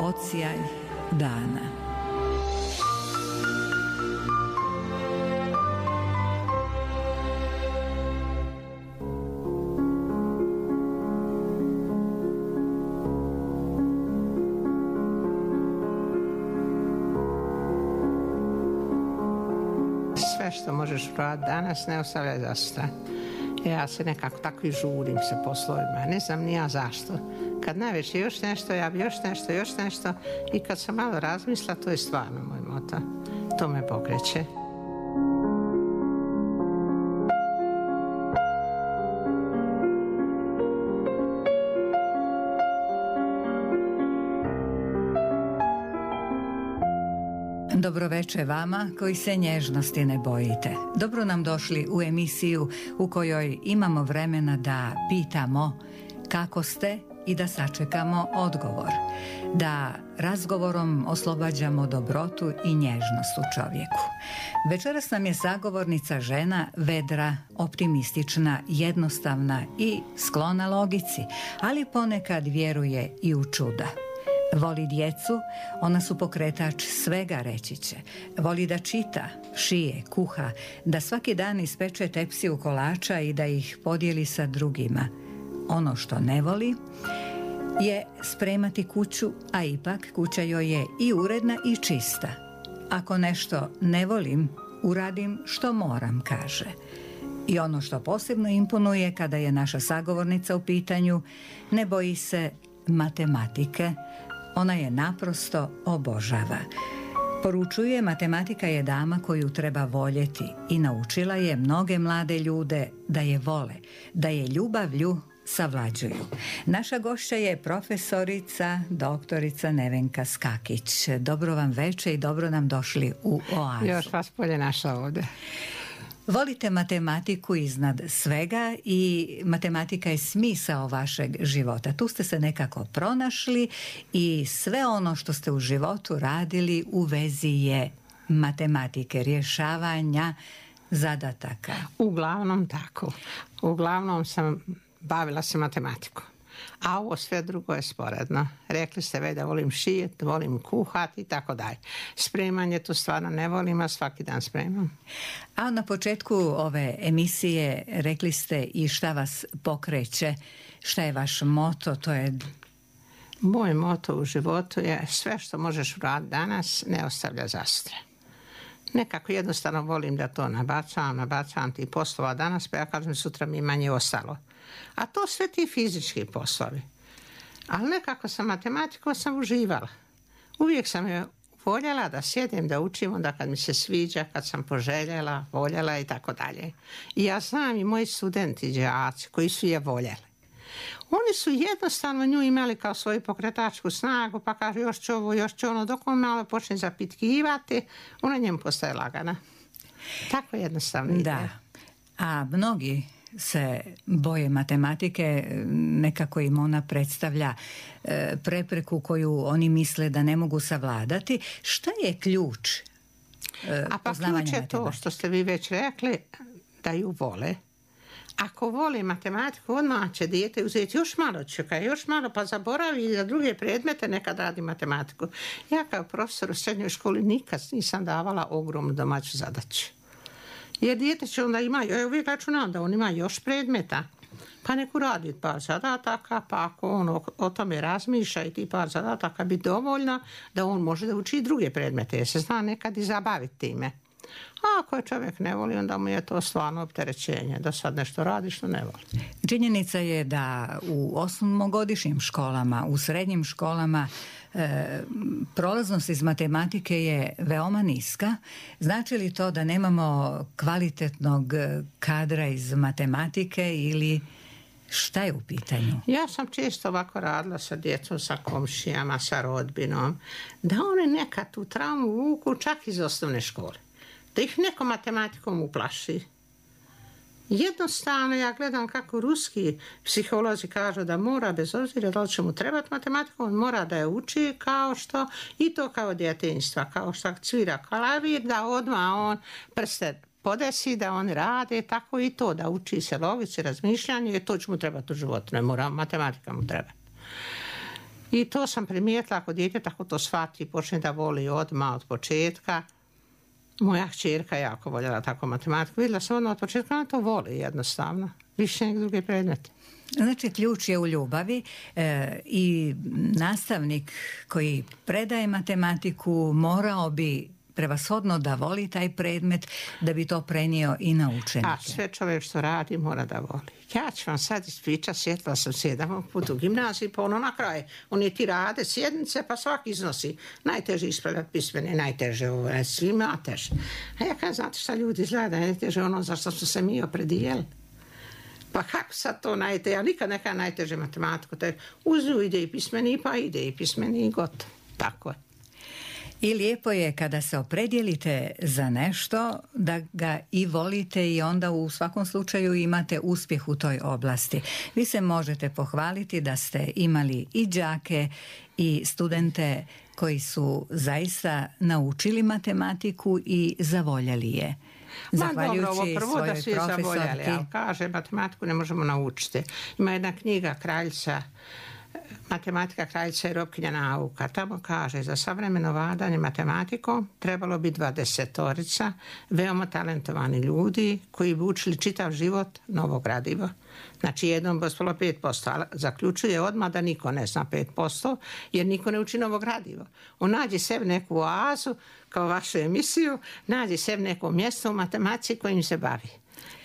Odsjaj dana. Sve što možeš uraditi danas ne ostavljaj za sutra. Ja se nekako tako i žurim se poslovima. Ne znam ni ja zašto. Kad najveće još nešto, ja bi još nešto. I kad sam malo razmisla, to je stvarno moj moto. To me pokreće. Dobroveče vama koji se nježnosti ne bojite. Dobro nam došli u emisiju u kojoj imamo vremena da pitamo kako ste i da sačekamo odgovor. Da razgovorom oslobađamo dobrotu i nježnost u čovjeku. Večeras nam je sagovornica žena vedra, optimistična, jednostavna i sklona logici, ali ponekad vjeruje i u čuda. Voli djecu, ona su pokretač svega, reći će. Voli da čita, šije, kuha, da svaki dan ispeče tepsiju kolača i da ih podijeli sa drugima. Ono što ne voli je spremati kuću, a ipak kuća joj je i uredna i čista. Ako nešto ne volim, uradim što moram, kaže. I ono što posebno imponuje kada je naša sagovornica u pitanju, ne boji se matematike. Ona je naprosto obožava. Poručuje, matematika je dama koju treba voljeti i naučila je mnoge mlade ljude da je vole, da je ljubavlju savlađuju. Naša gošća je profesorica, doktorica Nevenka Skakić. Dobro vam veče i dobro nam došli u Oazu. Još vas bolje našla ovdje. Volite matematiku iznad svega i matematika je smisao vašeg života. Tu ste se nekako pronašli i sve ono što ste u životu radili u vezi je matematike, rješavanja zadataka. Uglavnom tako. Uglavnom sam bavila se matematikom. A ovo sve drugo je sporedno. Rekli ste već da volim šijeti, volim kuhati i tako dalje. Spremanje to stvarno ne volim, a svaki dan spremam. A na početku ove emisije rekli ste i šta vas pokreće, šta je vaš moto, to je... Moj moto u životu je sve što možeš uraditi danas ne ostavlja za sutra. Nekako jednostavno volim da to nabacam ti poslova danas, pa ja kažem sutra mi manje ostalo. A to sve ti fizički poslovi. Ali nekako sa matematikom sam uživala. Uvijek sam je voljela da sjedim, da učim, onda kad mi se sviđa, kad sam poželjela, voljela i tako dalje. I ja znam i moji studenti, đaci koji su je voljeli. Oni su jednostavno nju imali kao svoju pokretačku snagu, pa kaže još će ovo, još će ono, dok on malo počne zapitkivati, ona njemu postaje lagana. Tako jednostavno ide. Da, a mnogi se boje matematike, nekako im ona predstavlja prepreku koju oni misle da ne mogu savladati. Šta je ključ a pa ključ je to što ste vi već rekli, da ju vole. Ako voli matematiku, odmah će dijete uzeti još malo, pa zaboravi i za druge predmete nekad radi matematiku. Ja kao profesor u srednjoj školi nikad nisam davala ogromnu domaću zadaću. Jer dijete će onda ima, ja uvijek računam da on ima još predmeta, pa neku radi par zadataka, pa ako on o tome razmišlja i ti par zadataka bi dovoljno da on može da uči i druge predmete, jer se zna nekad i zabaviti time. A ako je čovjek ne voli, onda mu je to stvarno opterećenje, da sad nešto radi što ne voli. Činjenica je da u osmogodišnjim školama, u srednjim školama prolaznost iz matematike je veoma niska. Znači li to da nemamo kvalitetnog kadra iz matematike ili šta je u pitanju? Ja sam često ovako radila sa djecom, sa komšijama, sa rodbinom, da oni nekad tu traumu vuku čak iz osnovne škole. Da ih neko matematikom uplaši. Jednostavno ja gledam kako ruski psiholozi kažu da mora, bez obzira da li će mu trebati matematiku, on mora da je uči kao što, i to kao djetinjstva, kao što svira klavir, da odmah on prste podesi, da on rade, tako i to, da uči se logici, razmišljanje, jer to će mu trebati u životu, ne mora, matematika mu treba. I to sam primijetila ako dijete tako to shvati i počne da voli odmah od početka. Moja kćerka jako voljela tako matematiku. Vidjela sam odmah od početka, ona to voli jednostavno. Više nek druge predmete. Znači, ključ je u ljubavi i nastavnik koji predaje matematiku morao bi prevashodno da voli taj predmet da bi to prenio i na učenike. A sve čovjek što radi mora da voli. Ja ću vam sad ispričati, sjetila sam se jedan put u gimnaziji, pa ono na kraju, oni ti rade sjednice, pa svaki iznosi. Najteže ispravljati pismene, najteže ovo, svima teže. A ja kažem, znate šta ljudi izgleda, najteže ono za što su se mi opredijeli. Pa kako sad to najteže? Ja nikad neka najteže matematiku. Uz nju ide i pismeni, pa ide i pismeni i gotovo. Tako je. I lijepo je kada se opredjelite za nešto da ga i volite i onda u svakom slučaju imate uspjeh u toj oblasti. Vi se možete pohvaliti da ste imali i đake i studente koji su zaista naučili matematiku i zavoljeli je. Zahvaljujući dobro, ovo prvo da svi zavoljali, ali kaže matematiku ne možemo naučiti. Ima jedna knjiga Kraljica, Matematika kraljica i robkinja nauka. Tamo kaže, za savremeno vladanje matematikom trebalo bi 20 veoma talentovani ljudi koji bi učili čitav život novo gradivo. Znači jednom bi ostalo 5%, ali zaključuje odmah da niko ne zna 5%, jer niko ne uči novo gradivo. On nađe sebi neku oazu, kao vašu emisiju, nađe sebi neko mjesto u matematici kojim se bavi.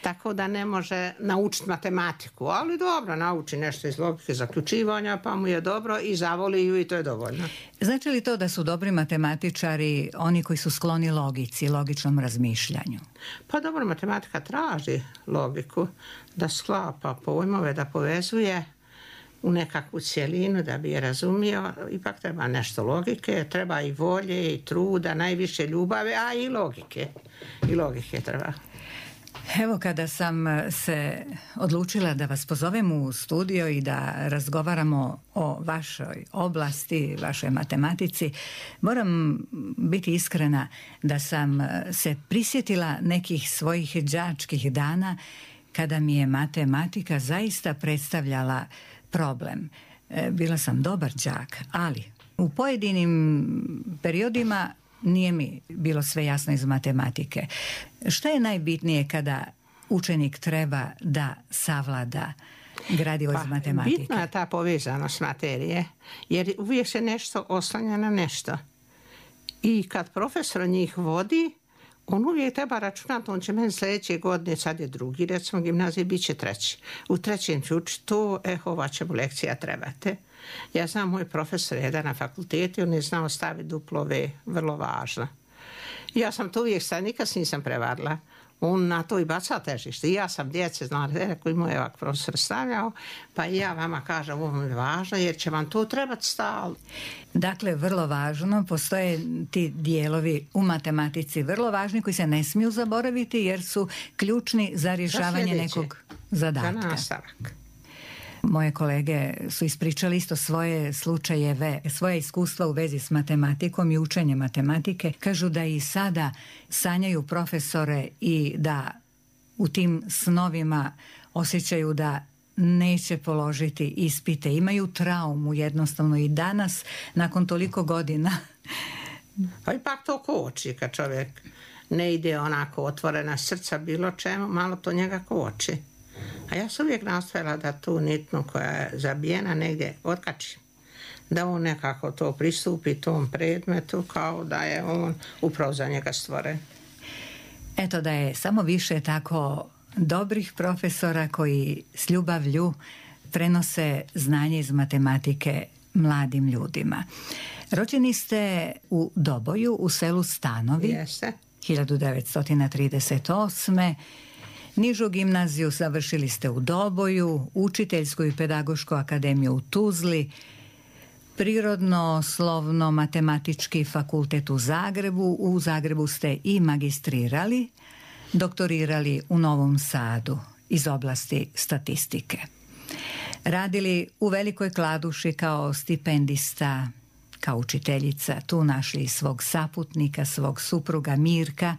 Tako da ne može naučiti matematiku, ali dobro, nauči nešto iz logike zaključivanja, pa mu je dobro i zavoli ju i to je dovoljno. Znači li to da su dobri matematičari oni koji su skloni logici, logičnom razmišljanju? Pa dobro, matematika traži logiku, da sklapa pojmove, da povezuje u nekakvu cjelinu da bi je razumio. Ipak treba nešto logike, treba i volje i truda, najviše ljubave, a i logike. I logike treba. Evo, kada sam se odlučila da vas pozovem u studio i da razgovaramo o vašoj oblasti, vašoj matematici, moram biti iskrena da sam se prisjetila nekih svojih đačkih dana kada mi je matematika zaista predstavljala problem. Bila sam dobar đak, ali u pojedinim periodima nije mi bilo sve jasno iz matematike. Šta je najbitnije kada učenik treba da savlada gradivo iz matematike? Bitna je ta povezanost materije, jer uvijek se nešto oslanja na nešto. I kad profesor njih vodi, on uvijek treba računati, on će meni sljedeće godine, sad je drugi, recimo gimnaziji, bit će treći. U trećem ću učiti to, ova će mu lekcija trebate. Ja znam, moj profesor jedan na fakultetu, on je znao staviti duplo V, vrlo važno. Ja sam to uvijek sad, nikad nisam prevarila. On na to i baca težište. I ja sam djece znala, koji moj ovak profesor stavljao, pa i ja vama kažem, ovo je važno, jer će vam to trebati stalno. Dakle, vrlo važno, postoje ti dijelovi u matematici vrlo važni koji se ne smiju zaboraviti jer su ključni za rješavanje nekog zadatka. Za nastavak. Moje kolege su ispričali isto svoje slučajeve, svoje iskustva u vezi s matematikom i učenjem matematike. Kažu da i sada sanjaju profesore i da u tim snovima osjećaju da neće položiti ispite. Imaju traumu jednostavno i danas, nakon toliko godina. Pa ipak to koči kad čovjek ne ide onako otvorena srca bilo čemu, malo to njega koči. A ja sam uvijek nastojala da tu nitnu koja je zabijena negdje otkačim. Da on nekako to pristupi tom predmetu kao da je on upravo za njega stvoren. Eto, da je samo više tako dobrih profesora koji s ljubavlju prenose znanje iz matematike mladim ljudima. Rođeni ste u Doboju, u selu Stanovi. Jeste. 1938. Nižu gimnaziju završili ste u Doboju, učiteljsku i pedagošku akademiju u Tuzli, prirodno-slovno-matematički fakultet u Zagrebu. U Zagrebu ste i magistrirali, doktorirali u Novom Sadu iz oblasti statistike. Radili u Velikoj Kladuši kao stipendista, kao učiteljica, tu našli svog saputnika, svog supruga Mirka,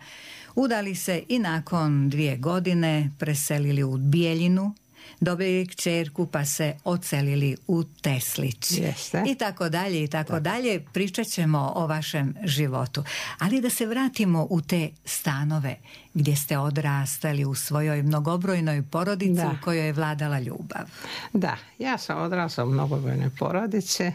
udali se i nakon 2 godine preselili u Bijeljinu, dobili kćerku pa se ocelili u Teslić. Jeste. I tako dalje, i tako dalje. Pričat ćemo o vašem životu. Ali da se vratimo u te stanove gdje ste odrastali u svojoj mnogobrojnoj porodici u kojoj je vladala ljubav. Da, ja sam odrasla u mnogobrojnoj porodici.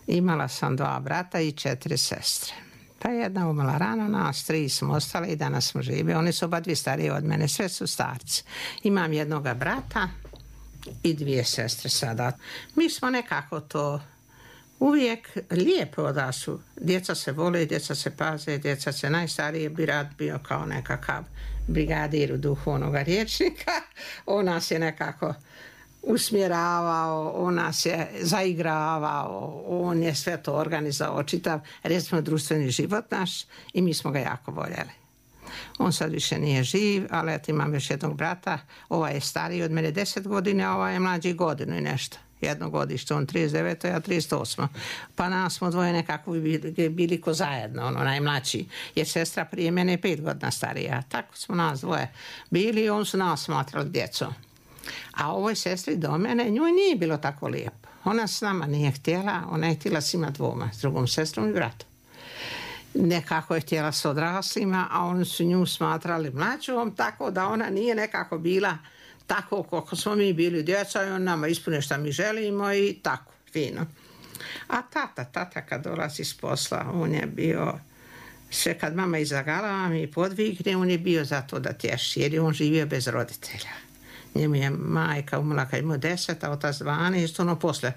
Imala sam 2 brata i 4 sestre. Pa jedna umrla rano, nas 3 smo ostali i danas smo živi. Oni su oba 2 stariji od mene, sve su starci. Imam jednoga brata i 2 sestre sada. Mi smo nekako to uvijek lijepo da su. Djeca se vole, djeca se paze, djeca se najstariji brat bio kao nekakav brigadir u duhu onoga rječnika. On nas je nekako usmjeravao, on nas je zaigravao, on je sve to organizovao, čitav recimo društveni život naš i mi smo ga jako voljeli. On sad više nije živ, ali eto imam još jednog brata, ovaj je stariji od mene 10 godina, a ovaj je mlađi godinu i nešto. Jedno godište, on 39, ja 38. Pa nas smo dvoje nekako bili ko zajedno, ono najmlađi. Jer sestra prije mene je 5 godina starija. Tako smo nas dvoje bili i on su nas smatrali djecom. A ovoj sestri do mene, njoj nije bilo tako lijepo. Ona s nama nije htjela, ona je htjela s ima 2, s drugom sestrom i bratom. Nekako je htjela s odraslima, a oni su nju smatrali mlađom, tako da ona nije nekako bila tako koliko smo mi bili djeca i on nama ispune šta mi želimo i tako, fino. A tata kad dolazi s posla, on je bio, sve kad mama izagala mi podvigne, on je bio za to da tješi, jer je on živio bez roditelja. Njemu je majka umrla kad imao 10, a otac 12, ono posle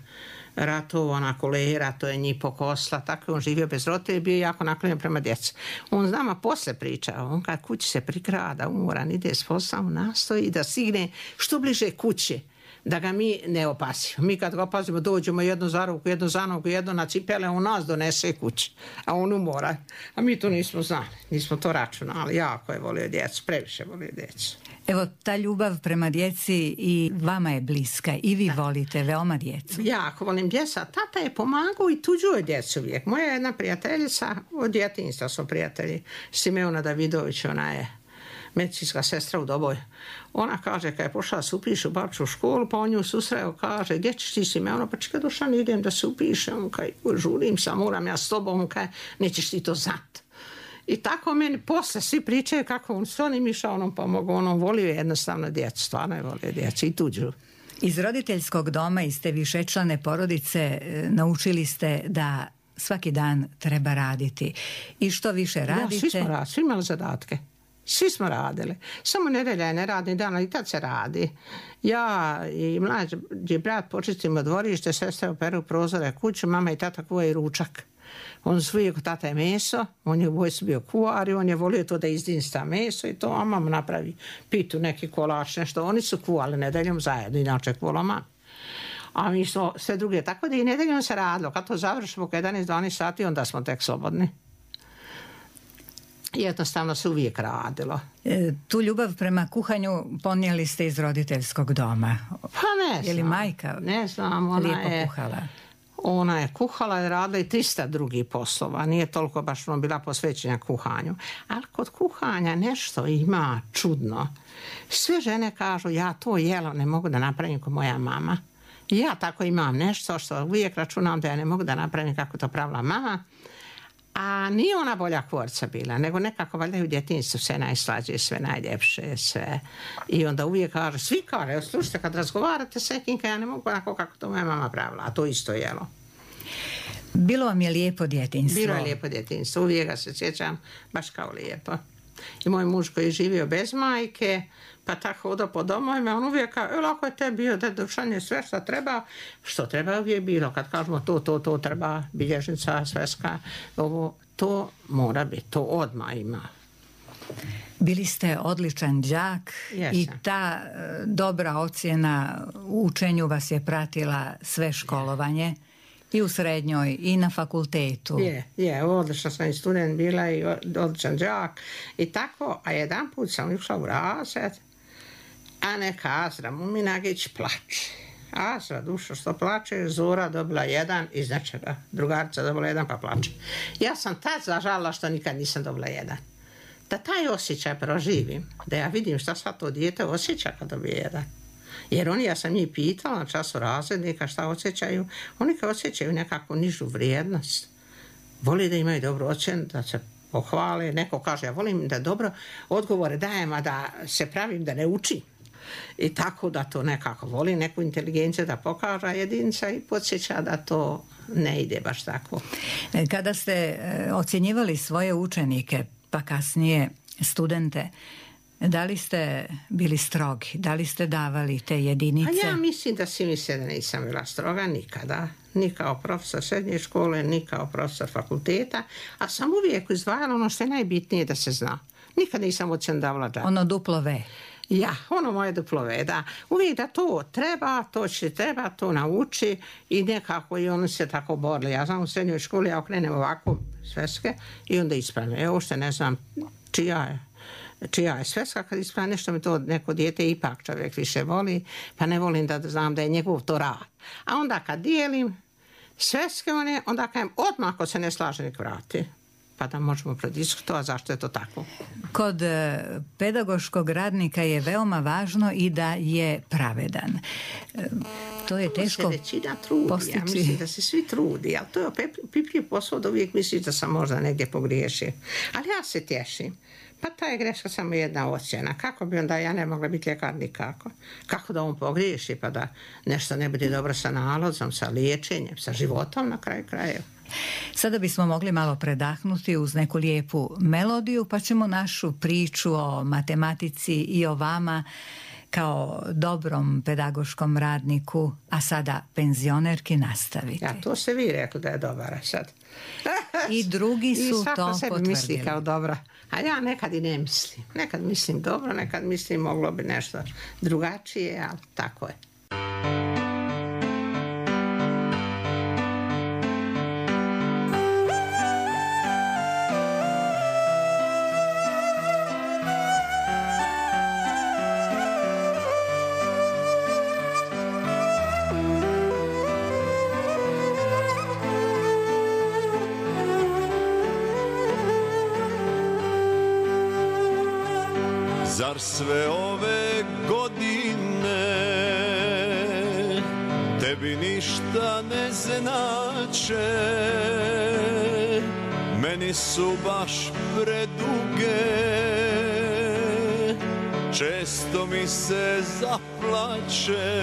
ratova, ona kolera, to je njih pokosla, tako je on živio bez roditelja i bio jako naklonjen prema djeci. On s nama posle pričao, on kad kući se prikrada, umoran, ide s posla, on nastoji da stigne što bliže kući, da ga mi ne opasimo. Mi kad ga opazimo, dođemo jedno za ruku, jedno za nogu, jedno na cipele, on nas donese kući, a on umora. A mi to nismo znali, nismo to računali, jako je volio djecu, previše volio djecu. Evo, ta ljubav prema djeci i vama je bliska i vi volite veoma djecu. Jako volim djeca. Tata je pomagao i tuđuje djecu uvijek. Moja jedna prijateljica, od djetinjstva smo prijatelji, Simeona Davidović, ona je medicinska sestra u Doboj. Ona kaže, kad je pošla se upiše u Baču školu, pa on nju susreo, kaže, gdje ćeš ti Simeona? Pa čekaj, Dušan, idem da se upišem, kaj, žurim sam, moram ja s tobom, kaj, nećeš ti to znat. I tako meni posle svi pričaju kako on s onim išao, onom pomogao, onom volio jednostavno djecu, stvarno je volio djecu i tuđu. Iz roditeljskog doma, iz te višečlane porodice, naučili ste da svaki dan treba raditi. I što više radite... Ja, svi imali zadatke. Svi smo radili. Samo nedelja je neradni dan, ali tad se radi. Ja i mlađi brat počistimo dvorište, sestra operu prozore kuću, mama i tata kuvaju ručak. On su uvijek tata je meso, on je u vojsci bio kuvar i on je volio to da izdinsta meso i to, a mama napravi pitu, neki kolač, nešto. Oni su kuvali nedeljom zajedno, inače kuvala mama. A mi smo sve druge, tako da i nedeljom se radilo. Kad to završimo, 11-12 sati, onda smo tek slobodni. Jednostavno se uvijek radilo. Tu ljubav prema kuhanju ponijeli ste iz roditeljskog doma. Pa ne znam. Je li majka ne znam, ona lijepo je kuhala? Ona je kuhala i radila i 300 drugih poslova. Nije toliko baš bila posvećena kuhanju. Ali kod kuhanja nešto ima čudno. Sve žene kažu, ja to jelo ne mogu da napravim kao moja mama. Ja tako imam nešto što uvijek računam da ja ne mogu da napravim kako to pravila mama. A nije ona bolja kvorca bila, nego nekako valjda u djetinjstvu sve najslađe, sve najljepše, sve. I onda uvijek kaže, svi kaže, slušajte, kad razgovarate s nekim, ja ne mogu onako kako to moja mama pravila, a to isto jelo. Bilo vam je lijepo djetinjstvo? Bilo je lijepo djetinjstvo, uvijek ga se sjećam, baš kao lijepo. I moj muž koji je živio bez majke, pa tako hodao po domovima, on uvijek kao, lako je te bio, da Dušan je sve što treba uvijek bilo. Kad kažemo to treba, bilježnica, sveska, ovo, to mora biti, to odmah ima. Bili ste odličan đak i ta dobra ocjena u učenju vas je pratila sve školovanje. I u srednjoj, i na fakultetu. Je, odlična sam i student bila i odličan đak. I tako, a jedan put sam išla u razred, a neka Azra Muminagić plače. Azra, dušo, što plače, Zora dobila 1 iz nečega. Drugarica dobila 1 pa plače. Ja sam tad zažalila što nikad nisam dobila 1. Da taj osjećaj proživim, da ja vidim šta sad to dijete osjeća kad dobije 1. Jer oni, ja sam njih pitala na času razrednika šta osjećaju, oni kao osjećaju nekakvu nižu vrijednost. Voli da imaju dobru ocjenu, da se pohvale. Neko kaže, ja volim da dobro odgovore dajem, a da se pravim da ne učim. I tako da to nekako voli, neku inteligenciju da pokaže jedinica i podsjeća da to ne ide baš tako. Kada ste ocjenjivali svoje učenike, pa kasnije studente, da li ste bili strogi? Da li ste davali te jedinice? A ja mislim da svi misle da nisam bila stroga nikada. Ni kao profesor srednje škole, ni kao profesor fakulteta. A sam uvijek izdvajala ono što je najbitnije da se zna. Nikad nisam ocjenu davala džabe. Ono duplo V. Ja, ono moje duplo V, da. Uvijek da to treba, to će treba, to nauči i nekako i oni se tako borili. Ja znam u srednjoj školi, ja okrenem ovako sveske i onda ispravljam. Evo što ne znam čija je sveska, kad ispravljam nešto mi to neko dijete ipak čovjek više voli, pa ne volim da znam da je njegov to rad. A onda kad dijelim sveske onda kajem odmah ako se ne slaže nek vrati. Pa da možemo prediskutovati zašto je to tako. Kod pedagoškog radnika je veoma važno i da je pravedan. To je teško postići. Ja mislim da se svi trudi, ali to je pipljiv posao da uvijek misliš da sam možda negdje pogriješio. Ali ja se tješim. Pa ta je greška samo jedna ocjena. Kako bi onda ja ne mogla biti ljekar nikako? Kako da on pogriješi pa da nešto ne bude dobro sa nalazom, sa liječenjem, sa životom na kraju krajeva. Sada bismo mogli malo predahnuti uz neku lijepu melodiju, pa ćemo našu priču o matematici i o vama kao dobrom pedagoškom radniku, a sada penzionerki, nastaviti. Ja, to ste vi rekli da je dobra sad. I drugi su to potvrdili. I svako sebi misli kao dobra. A ja nekad i ne mislim. Nekad mislim dobro, nekad mislim moglo bi nešto drugačije, ali tako je. Zar sve ove godine tebi ništa ne znače? Meni su baš preduge, često mi se zaplače.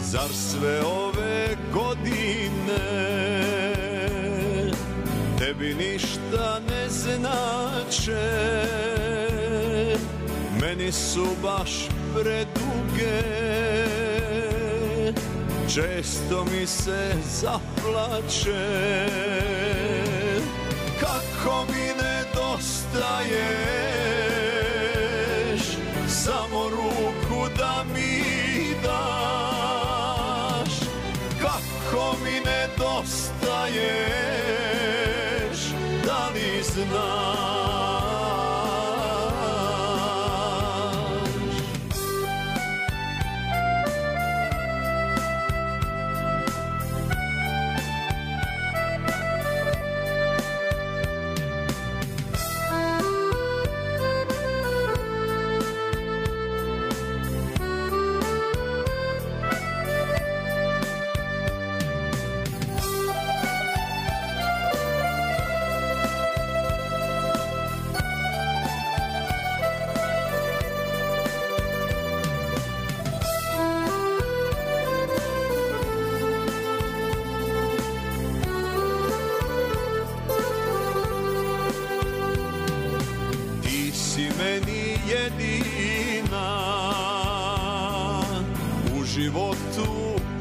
Zar sve ove godine tebi ništa ne znače? Meni su baš preduge, često mi se zaplače. Kako mi nedostaješ, samo ruku da mi daš. Kako mi nedostaješ, da li znaš?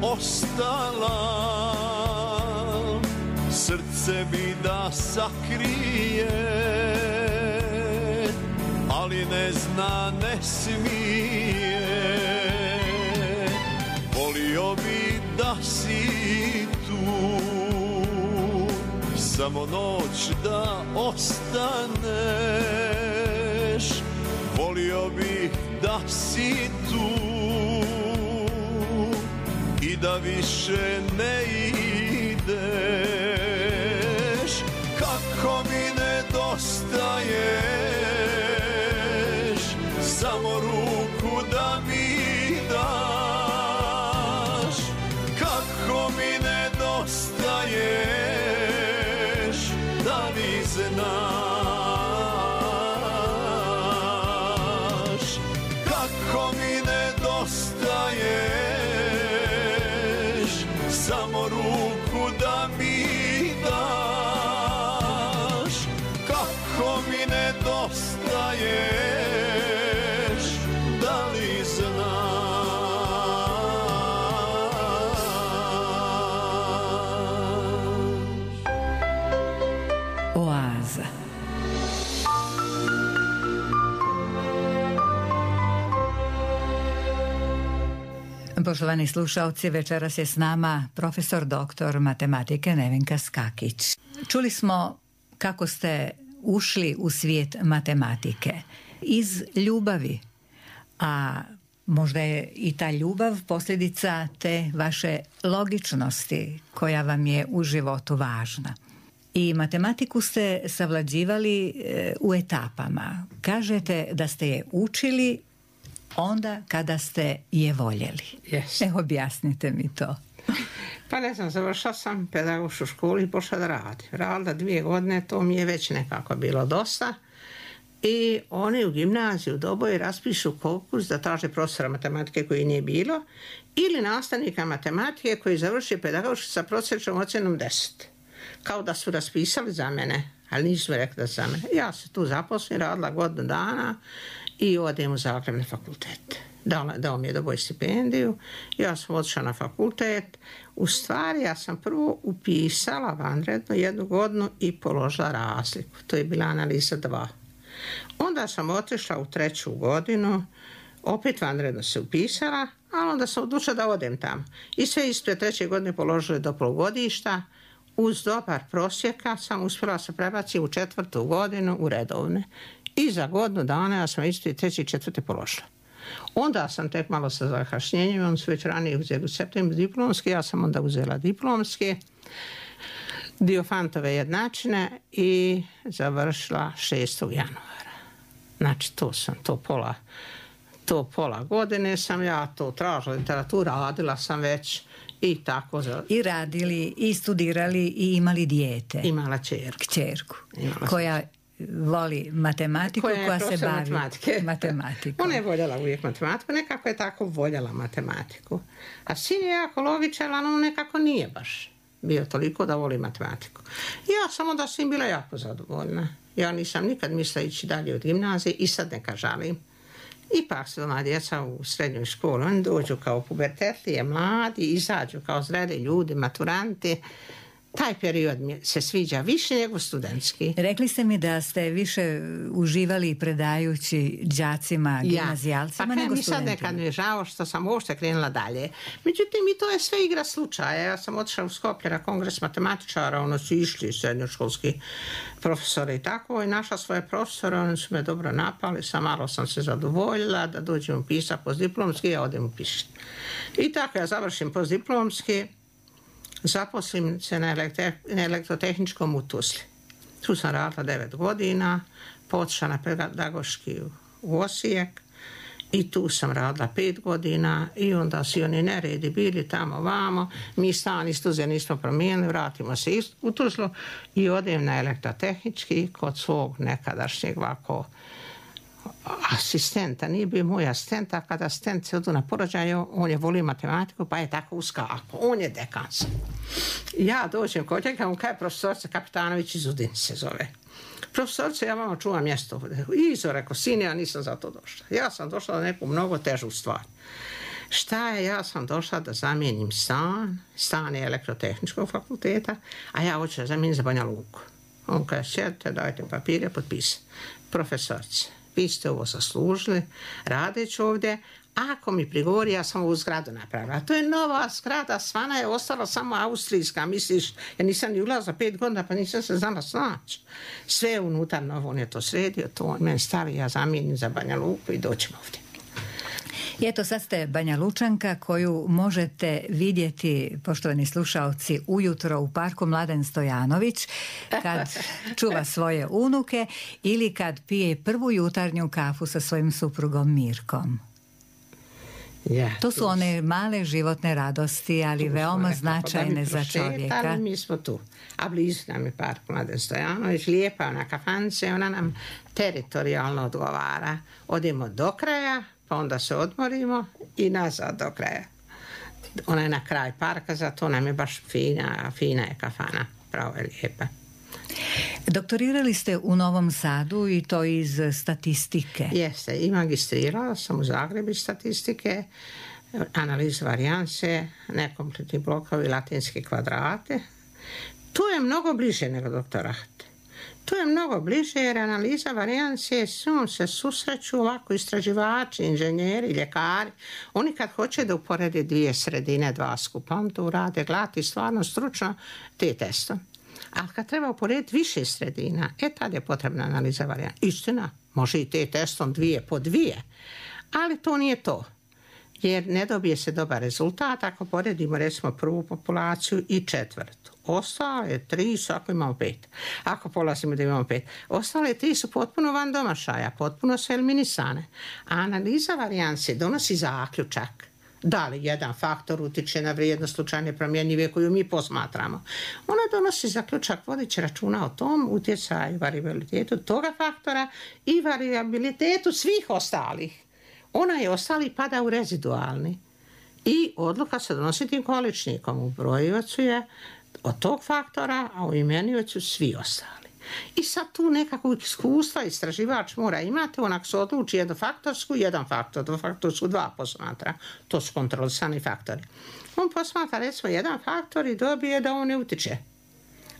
Ostala, srce mi da sakrije, ali ne zna, ne smije. Volio bi da si tu, samo noć da ostaneš. Volio bih da si tu i da više ne ideš. Kako mi nedostaješ, samo ruku da mi Poštovani slušalci, večeras je s nama profesor doktor matematike Nevenka Skakić. Čuli smo kako ste ušli u svijet matematike iz ljubavi, a možda je i ta ljubav posljedica te vaše logičnosti koja vam je u životu važna. I matematiku ste savlađivali u etapama. Kažete da ste je učili onda kada ste je voljeli. Yes. Objasnite mi to. Pa ne znam, završila sam pedagošku školu i počela da radim. Radila 2 godine, to mi je već nekako bilo dosta. I oni u gimnaziju u Doboju raspišu konkurs da traže profesora matematike koji nije bilo ili nastavnika matematike koji završi pedagošku sa prosječnom ocjenom 10. Kao da su raspisali za mene, ali nisu mi rekli da za mene. Ja se tu zaposlim, radila godinu dana i odem u Zagreb na fakultet. Dao mi je Doboj stipendiju, ja sam otišla na fakultet. U stvari, ja sam prvo upisala vanredno 1 godinu i položila razliku. To je bila analiza 2. Onda sam otišla u 3. godinu, opet vanredno se upisala, ali onda sam odlučila da odem tamo. I sve ispred 3. godine položila do polugodišta. Uz dobar prosjeka sam uspjela se prebaciti u 4. godinu u redovne. I za godinu dana ja sam ispred 3. i 4. položila. Onda sam tek malo sa zakašnjenjem, on su već ranije uzeli u septembru diplomski, ja sam onda uzela diplomski, Diofantove jednačine i završila 6. januara. Znači to pola godine sam ja to tražila literaturu, radila sam već i tako. I radili, i studirali, i imali dijete. Imala kćerku. Koja voli matematiku, koja se bavi matematikom. Ona je voljela uvijek matematiku, nekako je tako voljela matematiku. A sin je jako logičan, ali on nekako nije baš bio toliko da voli matematiku. Ja sam onda s njim bila jako zadovoljna. Ja nisam nikad mislila ići dalje od gimnazije i sad neka žalim. Ipak su ona djeca u srednjoj školi, oni dođu kao pubertetlije, mladi, izađu kao zreli ljudi, maturanti. Taj period mi se sviđa više nego studentski. Rekli ste mi da ste više uživali predajući đacima, gimnazijalcima nego studentima. Sad nekad mi je žao što sam uopšte krenula dalje. Međutim, i to je sve igra slučaja. Ja sam otišla u Skopje na kongres matematičara, ono su išli srednjoškolski profesori i tako, i našla svoje profesore, oni su me dobro napali, malo sam se zadovoljila da dođem upisati postdiplomski, ja odem upišiti. I tako ja završim postdiplomski, zaposlim se na elektrotehničkom u Tuzli. Tu sam radila 9 godina, otišla na pedagoški u Osijek i tu sam radila 5 godina i onda su oni neredi bili tamo vamo. Mi stan iz Tuzle nismo promijenili, vratimo se u Tuzlu i odem na elektrotehnički kod svog nekadašnjeg ovako asistenta, nije bio moj asistent, a kada asistent se odu na porođaju, on je volio matematiku, pa je tako uskako. On je dekan. Ja dođem kod njega, on kaže profesorica Kapitanović iz Udine se zove. Profesorica, ja vama čuvam mjesto ovdje. Izo, rekao, sin, ja nisam za to došla. Ja sam došla na neku mnogo težu stvar. Šta je, ja sam došla da zamijenim stan je elektrotehničkog fakulteta, a ja hoću da zamijenim za Banja Luku. On kaže, sjedite, dajte papire, potpisati. Profesorice, vi ste ovo zaslužili, radeći ovdje, ako mi prigovori, ja sam ovu zgradu napravila. To je nova zgrada, svana je ostala samo austrijska, misliš, ja nisam ni ulazila 5 godina, pa nisam se znala snaći. Sve je unutar novo, on je to sredio, to on meni stavi, ja zamijenim za Banja Luku i doćemo ovdje. I eto, sad ste Banja Lučanka koju možete vidjeti, poštovani slušalci, ujutro u parku Mladen Stojanović kad čuva svoje unuke ili kad pije prvu jutarnju kafu sa svojim suprugom Mirkom. To su one male životne radosti, ali veoma značajne za čovjeka. Ali mi smo tu. A blizu nam je park Mladen Stojanović, lijepa ona kafanice, ona nam teritorijalno odgovara. Odemo do kraja, pa onda se odmorimo i nazad do kraja. Ona je na kraj parka, zato nam je baš fina je kafana, pravo je lijepa. Doktorirali ste u Novom Sadu i to iz statistike. Jeste, i magistrirala sam u Zagrebu iz statistike, analizu varijanse, nekompletni blokovi, latinske kvadrate. To je mnogo bliže nego doktorat. To je mnogo bliže jer analiza varijancije s njom se susreću ovako istraživači, inženjeri, ljekari. Oni kad hoće da uporede dvije sredine, dva skupa, on to urade glati stvarno stručno te testom. Ali kad treba uporediti više sredina, tad je potrebna analiza varijancije. Istina, može i te testom dvije po dvije, ali to nije to. Jer ne dobije se dobar rezultat ako poredimo recimo prvu populaciju i četvrtu. Ostale 3 su ako imamo 5. Ako polazimo da imamo 5. Ostale 3 su potpuno van domašaja, potpuno su eliminisane. A analiza varijancije donosi zaključak da li jedan faktor utiče na vrijednost slučajne promjenjive koju mi posmatramo. Ona donosi zaključak vodeći računa o tom utjecaju, variabilitetu toga faktora i variabilitetu svih ostalih. Ona je ostali pada u rezidualni i odluka se donosi tim količnikom. U brojivacu je od tog faktora, a u imeniocu svi ostali. I sad tu nekakvog iskustva istraživač mora imati, onak se odluči jednofaktorsku, jedan faktor, dvofaktorsku, 2 posmatra. To su kontrolisani faktori. On posmatra recimo jedan faktor i dobije da on ne utiče.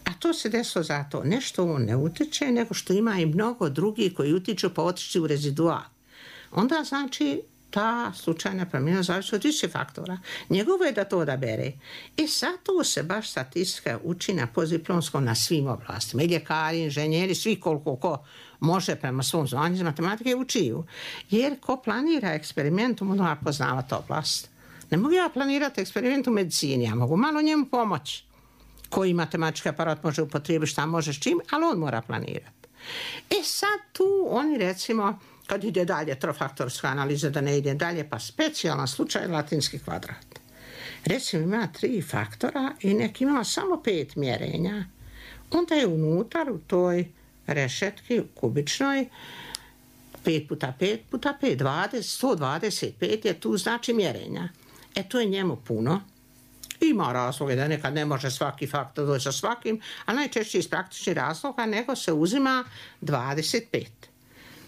A to se desilo zato. Nešto on ne utiče, nego što ima i mnogo drugih koji utiču pa otići u rezidual. Onda znači ta slučajna promjena zavisi od više faktora. Njegovo je da to odabere. I zato se baš statistika uči na postdiplomskom na svim oblastima. I ljekari, inženjeri, svi koliko ko može prema svom znanju iz matematike učiju. Jer ko planira eksperimentom, on mora poznavati oblast. Ne mogu ja planirati eksperiment u medicini, ja mogu malo njemu pomoći. Koji matematički aparat može upotrijebiti, šta može s čim, ali on mora planirati. Sad tu oni recimo kad ide dalje trofaktorska analiza, da ne ide dalje, pa specijalan slučaj latinski kvadrat. Recimo ima 3 faktora i neki ima samo 5 mjerenja. Onda je unutar u toj rešetki kubičnoj 5 puta 5 puta 5, 125 je tu znači mjerenja. To je njemu puno. Ima razloga da nekad ne može svaki faktor doći sa svakim, a najčešće iz praktičnih razloga nego se uzima 25.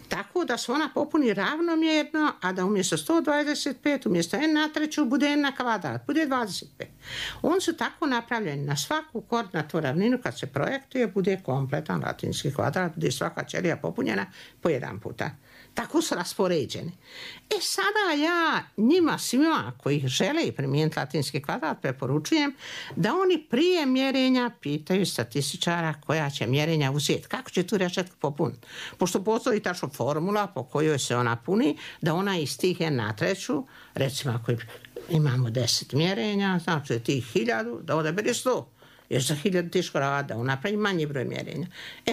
Tako da se ona popuni ravnomjerno, a da umjesto 125, umjesto n na treću bude n na kvadrat, bude 25. On su tako napravljeni na svaku koordinatnu ravninu kad se projektuje, bude kompletan latinski kvadrat, bude svaka ćelija popunjena po 1 puta. Tako su raspoređeni. Sada ja njima svima koji žele primijeniti latinski kvadrat preporučujem da oni prije mjerenja pitaju statističara koja će mjerenja uzeti. Kako će tu rešetku popuniti? Pošto postoji tačno formula po kojoj se ona puni, da ona iz tih n na treću, recimo ako imamo 10 mjerenja, znači tih 1000, da odabere 100. Jer za 1000 teško rada, on napravi manji broj mjerenja.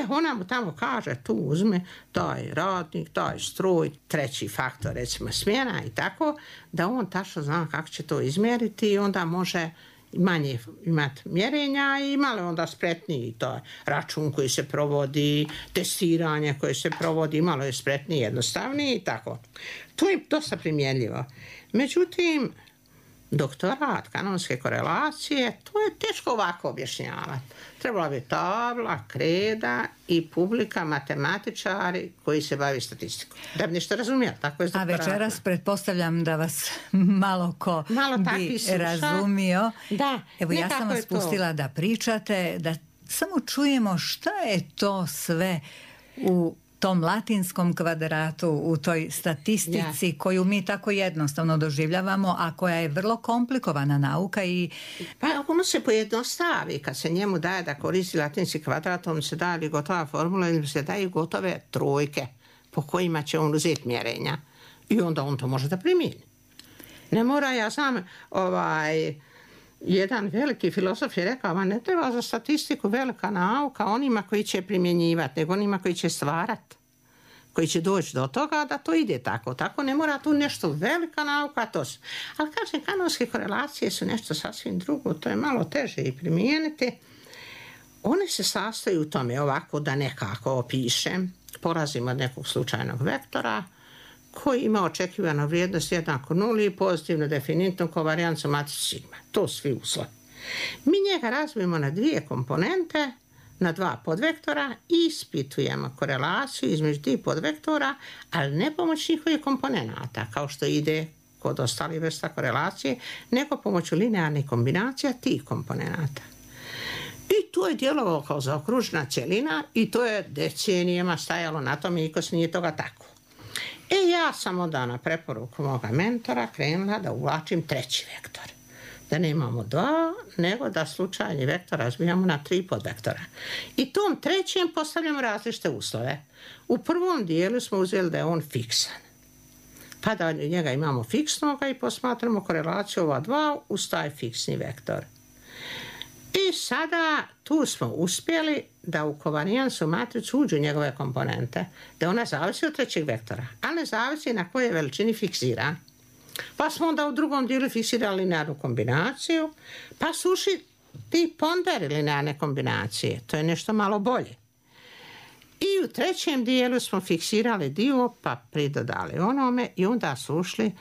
Ona mu tamo kaže, tu uzme taj radnik, taj stroj, treći faktor, recimo smjena i tako, da on tačno zna kako će to izmjeriti i onda može manje imati mjerenja i malo onda spretniji taj račun koji se provodi, testiranje koje se provodi, malo je spretniji, jednostavniji i tako. To je dosta primjenljivo. Međutim, doktorat kanonske korelacije, to je teško ovako objašnjavati. Trebala bi tabla, kreda i publika matematičari koji se bavi statistikom. Da bi nešto razumijeli, tako je s doktoratom. A večeras pretpostavljam da vas malo ko bi razumio. Da, evo ja sam vas pustila da pričate, da samo čujemo šta je to sve u tom latinskom kvadratu, u toj statistici koju mi tako jednostavno doživljavamo, a koja je vrlo komplikovana nauka i... Pa ono se pojednostavi kad se njemu daje da koristi latinski kvadrat, on se daje gotova formula ili se daje gotove trojke po kojima će on uzeti mjerenja i onda on to može da primijeni. Ne mora, ja sam jedan veliki filozof je rekao, ne treba za statistiku velika nauka onima koji će primjenjivati, nego onima koji će stvarati, koji će doći do toga da to ide tako. Tako ne mora tu nešto velika nauka, to su. Ali kažem, kanonske korelacije su nešto sasvim drugo, to je malo teže i primijeniti. One se sastoji u tome ovako da nekako opišem, polazimo od nekog slučajnog vektora, koji ima očekivanu vrijednost jednako 0 i pozitivno definitnu kovarijancu matrice sigma. To svi uslovi. Mi njega razvijemo na 2 komponente, na 2 podvektora i ispitujemo korelaciju između tih podvektora, ali ne pomoć njihovih komponenata, kao što ide kod ostalih vrsta korelacije, nego pomoću linearnih kombinacija tih komponenata. I to je djelovalo kao zaokružena cjelina i to je decenijama stajalo na tome i nije toga tako. Ja sam onda na preporuku moga mentora krenula da uvlačim treći vektor. Da nemamo dva, nego da slučajni vektor razbijamo na 3 podvektora. I tom trećem postavljamo različite uslove. U prvom dijelu smo uzeli da je on fiksan. Pa da njega imamo fiksnoga i posmatramo korelaciju ova dva uz taj fiksni vektor. I sada tu smo uspjeli da u kovarijansu matricu uđu njegove komponente, da ona zavisi od trećeg vektora, ali ne zavisi na kojoj veličini fiksira. Pa smo onda u drugom dijelu fiksirali linearnu kombinaciju, pa su ušli ti ponderi linearne kombinacije. To je nešto malo bolje. I u trećem dijelu smo fiksirali dio, pa pridodali onome i onda su ušli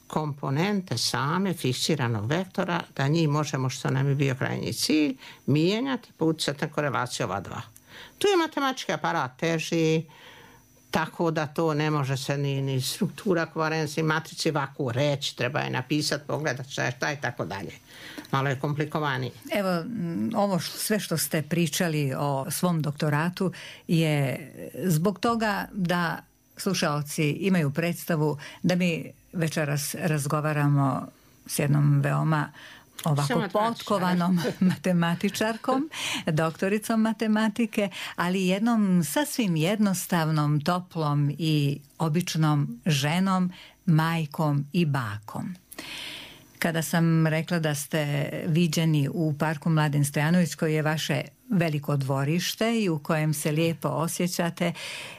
komponente same fiksiranog vektora, da njih možemo, što nam je bio krajnji cilj, mijenjati pa utjecati na korelaciju ova dva. Tu je matematički aparat teži, tako da to ne može se ni struktura kovarencije matrice ovako reći, treba je napisati, pogledati šta je tako dalje. Malo je komplikovanije. Evo, ovo sve što ste pričali o svom doktoratu je zbog toga da slušaoci imaju predstavu da mi večeras razgovaramo s jednom veoma ovako potkovanom matematičarkom, doktoricom matematike, ali jednom sasvim jednostavnom, toplom i običnom ženom, majkom i bakom. Kada sam rekla da ste viđeni u parku Mladen Stojanović, koji je vaše veliko dvorište i u kojem se lijepo osjećate,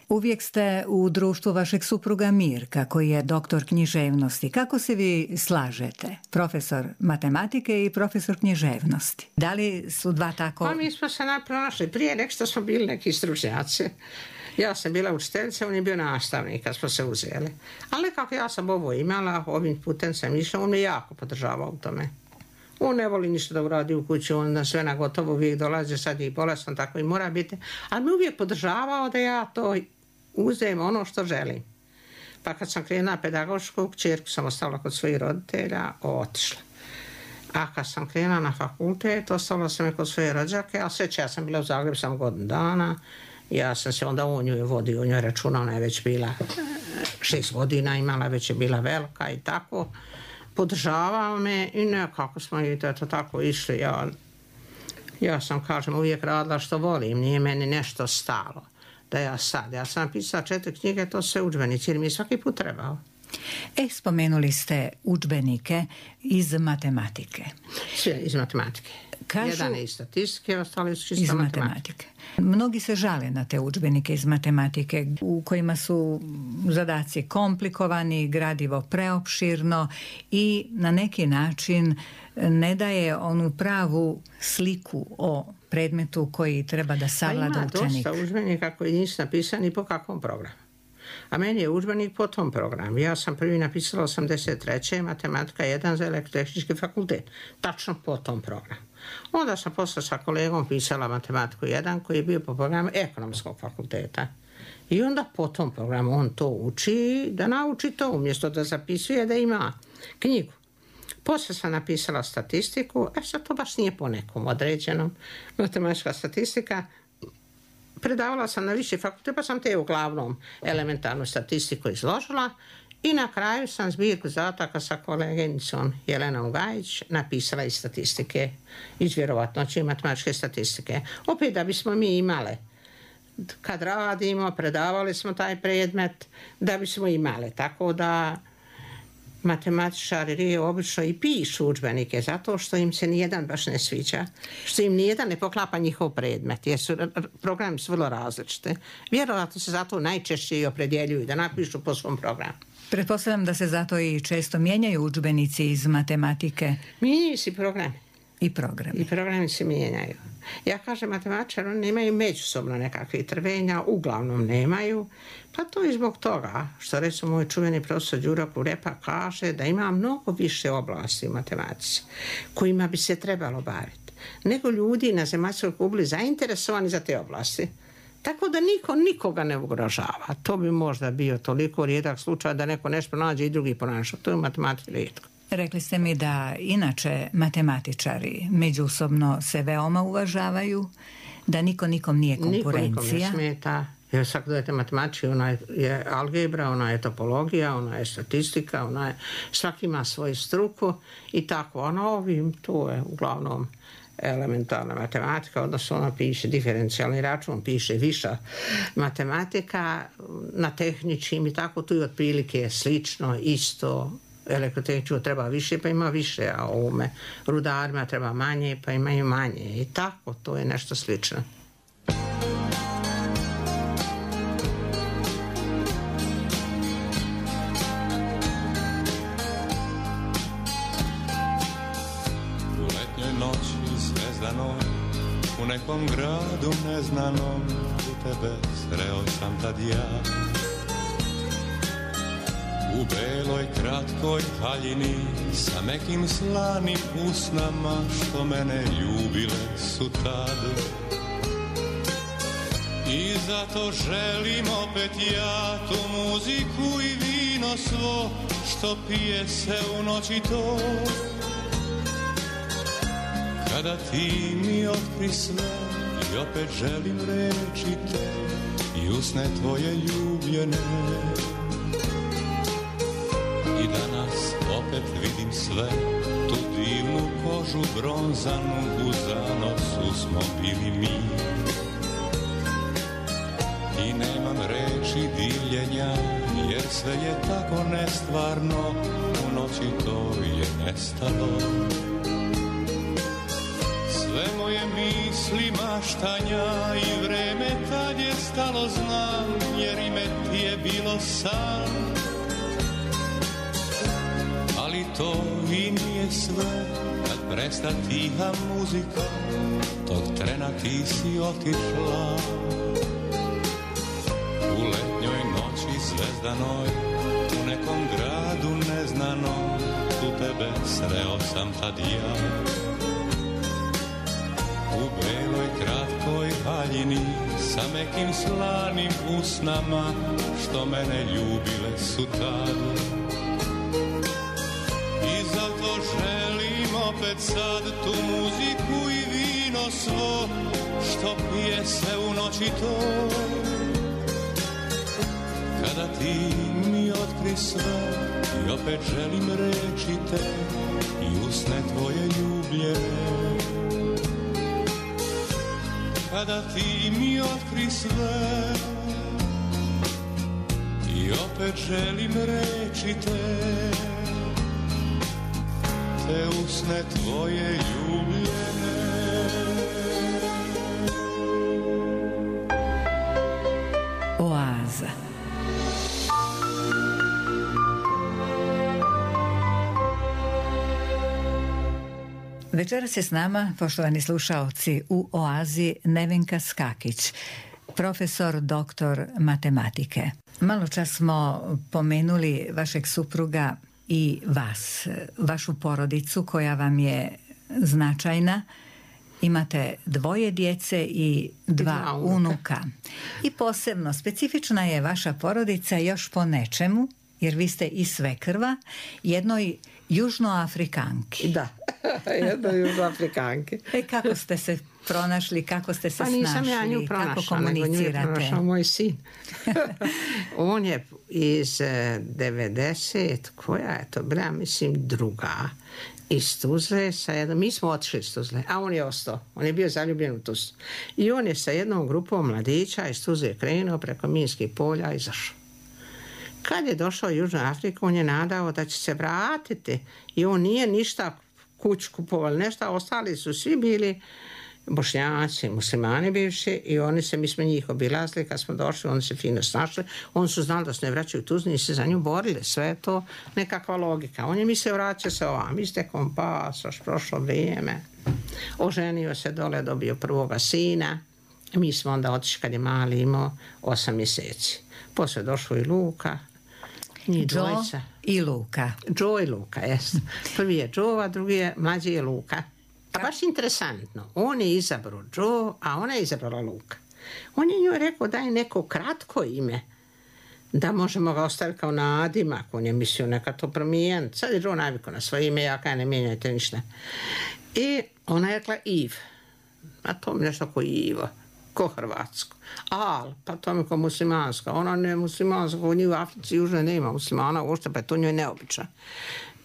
uvijek ste u društvu vašeg supruga Mirka, koji je doktor književnosti. Kako se vi slažete? Profesor matematike i profesor književnosti. Da li su dva tako... Pa mi smo se napronašli prije nek što smo bili neki stručnjaci. Ja sam bila učiteljica, on je bio nastavnik kad smo se uzeli. Ali kako ja sam ovo imala, ovim putem sam išla, on me jako podržavao u tome. On ne voli ništa da uradi u kući, on na sve na gotovo uvijek dolazi, sad je i bolestan, tako i mora biti. Ali me uvijek podržavao da ja to uzem ono što želim. Pa kad sam krenula pedagošku, kćerku sam ostavila kod svojih roditelja, otišla. A kad sam krenula na fakultet, ostavila sam je kod svoje rođake, a sveće ja sam bila u Zagrebu sam godinu dana. Ja sam se onda o njoj vodio, o njoj računa, ona je već bila 6 godina, imala, već je bila velika i tako. Podržavao me i nekako smo i to tako išli. Ja sam, kažem, uvijek radila što volim, nije meni nešto stalo. Da ja sam napisala 4 knjige, to sve udžbenici, jer mi je svaki put trebao. Spomenuli ste udžbenike iz matematike. Sve iz matematike. Jedan je iz statistike, ostali su čisto matematike. Mnogi se žale na te udžbenike iz matematike u kojima su zadaci komplikovani, gradivo preopširno i na neki način ne daje onu pravu sliku o predmetu koji treba da savlada učenik. Ima dosta udžbenika koji nisu napisani po kakvom programu. A meni je udžbenik po tom programu. Ja sam prvi napisala 83. matematika 1 za elektrotehnički fakultet. Tačno po tom programu. Onda sam posle sa kolegom pisala matematiku 1 koji je bio po programu ekonomskog fakulteta. I onda po tom programu on to uči, da nauči to umjesto da zapisuje da ima knjigu. Poslije sam napisala statistiku, sad to baš nije po nekom određenom. Matematička statistika. Predavala sam na viši fakultet, pa sam te uglavnom elementarnu statistiku izložila i na kraju sam zbirku zadataka sa koleginicom Jelenom Gajić napisala iz statistike, iz vjerovatnoće i matematičke statistike. Opet da bismo mi imale, kad radimo, predavali smo taj predmet, da bismo imali, tako da matematičari obično i pišu udžbenike zato što im se nijedan baš ne sviđa, što im nijedan ne poklapa njihov predmet, jer su programi su vrlo različite. Vjerojatno se zato najčešće i opredjeljuju da napišu po svom programu. Pretpostavljam da se zato i često mijenjaju udžbenici iz matematike. Mijenjaju se programi. I programi. I programi se mijenjaju. Ja kažem, matematičari oni nemaju međusobno nekakve trvenja, uglavnom nemaju, pa to je zbog toga što recimo moj čuveni profesor Đuro Kurepa kaže da ima mnogo više oblasti u matematici kojima bi se trebalo baviti, nego ljudi na zemaljskoj kugli zainteresovani za te oblasti. Tako da niko nikoga ne ugrožava. To bi možda bio toliko rijedak slučaj da neko nešto pronađe i drugi pronašao. To je u matematici rijetko. Rekli ste mi da inače matematičari međusobno se veoma uvažavaju, da niko nikom nije konkurencija. Niko nikom ne smeta. Jer sad gledajte matematički, ona je algebra, ona je topologija, ona je statistika, svaki ima svoju struku i tako. A na ovim, to je uglavnom elementarna matematika, odnosno ona piše diferencijalni račun, piše viša matematika, na tehničkim i tako, tu je otprilike slično, isto. Elektrotehničko treba više, pa ima više, a ovome rudarima treba manje, pa imaju manje. I tako, to je nešto slično. U letnjoj noći zvezdanoj, u nekom gradu neznanom, u tebe sreo sam tad ja. U beloj kratkoj haljini, sa mekim slanim usnama, što mene ljubile su tad. I zato želim opet ja tu muziku i vino svo, što pije se u noći to. Kada ti mi otkri sve i opet želim reći te i usne tvoje ljubljene. I danas opet vidim sve, tu divnu kožu bronzanu, u zanosu smo bili mi. I nemam reči divljenja, jer sve je tako nestvarno, u noći to je nestalo. Sve moje misli maštanja i vreme tad je stalo, znam, jer ime ti je bilo san. Ali to i nije sve, kad presta tiha muzika, tog trena ti si otišla. U letnjoj noći zvezdanoj, u nekom gradu neznanom, u tebe sreo sam tad ja. U beloj kratkoj haljini, sa mekim slanim usnama, što mene ljubile su tad. I zato želim opet sad tu muziku i vino svo, što pije se u noći to. Kada ti mi otkri sve i opet želim reći te i usne tvoje ljubljene. Kada ti mi otkri sve i opet želim reći te usne tvoje ljubljene. Oaza. Večeras je s nama, poštovani slušaoci, u Oazi Nevenka Skakić, profesor doktor matematike. Malo čas smo pomenuli vašeg supruga i vas, vašu porodicu koja vam je značajna. Imate 2 djece i 2 unuka. I posebno specifična je vaša porodica još po nečemu, jer vi ste i svekrva jednoj Južnoafrikanki. Da, jednoj Južnoafrikanki. Kako ste se pronašli, kako ste se snašli, nisam ja nju pronašla, kako komunicirate? Nego nju je pronašao moj sin. On je iz 90, koja je to bila, mislim, druga, iz Tuzle, mi smo otišli iz Tuzle, a on je ostao, on je bio zaljubljen u Tuzlu. I on je sa jednom grupom mladića iz Tuzle krenuo preko minskih polja i izašao. Kad je došao u Južnu Afriku, on je nadao da će se vratiti i on nije ništa kuću kupovali, nešto, ostali su svi bili Bošnjaci, muslimani bivši i mi smo njih obilazili, kad smo došli, oni se fino snašli, oni su znali da se ne vraćaju u Tuzli i se za nju borili, sve je to nekakva logika. On je mislio vraća se ovam, istekom pasoš, prošlo vrijeme, oženio se dole, dobio prvoga sina, mi smo onda otišli kad je mali imao 8 mjeseci. Poslije došao i Luka, njih dvojica. I Luka. Joe i Luka, jes. Prvi je Joe, a drugi je mlađi je Luka. A baš interesantno, on je izabrao Joe, a ona je izabrala Luka. On je njoj rekao daj neko kratko ime, da možemo ga ostaviti kao nadimak. On je mislio neka to promijeniti. Sad je Joe navikao na svoje ime, ja kaj ne mijenjajte ništa. I ona je rekla Iv. A to mi nešto ko Ivo, ko hrvatsko. Al, pa to mi ko muslimanska. Ona ne muslimanska, u njih u Africi južno nema muslimana uopšte, pa je to njoj neobično.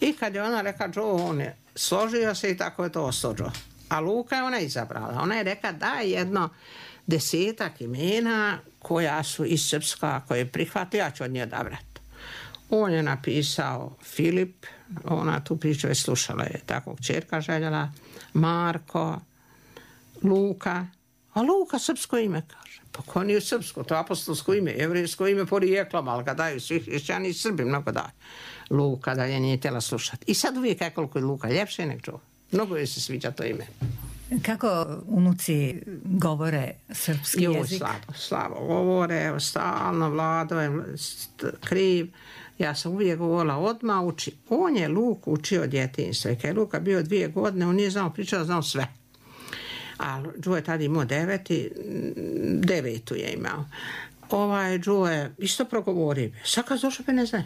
I kad je ona rekla Joe, on je složio se i tako je to ostao Joe. A Luka je ona izabrala. Ona je rekla daj jedno 10 imena koja su iz srpska, koje prihvati, ja ću od nje odabrati. On je napisao Filip, ona tu priču je slušala, je tako kćerka željela, Marko, Luka, a Luka srpsko ime kaže. Pa ko nije srpsko, to je apostolsko ime, jevrijsko ime porijeklom, ali ga daju svi hrišćani i Srbi, mnogo daju. Luka dalje nije htjela slušati. I sad uvijek je koliko je Luka ljepše nek Joe. Mnogo joj se sviđa to ime. Kako unuci govore srpski jezik? Slabo govore, stalno Vlado je kriv. Ja sam uvijek govorila, odmah uči. On je Luku učio od djetinjstva. I kad je Luka bio 2 godine, on nije znao pričati, znao sve. A Joe je tada imao 9 je imao. Joe je isto progovorio. Sad kad došao pa ne znaju.